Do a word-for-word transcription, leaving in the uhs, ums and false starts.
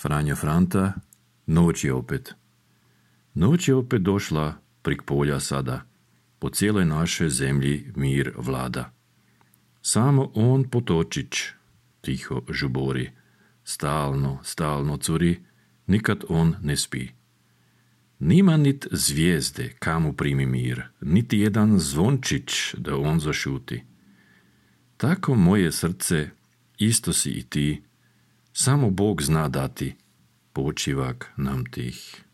Franjo Franta, noć je opet. Noć je opet došla prik polja sada. Po cijeloj našoj zemlji mir vlada. Samo on potočić tiho žubori. Stalno, stalno curi, nikad on ne spi. Nima nit zvijezde kamu primi mir, niti jedan zvončić da on zašuti. Tako moje srce, isto si i ti, samo Bog zna dati, počivak nam tih.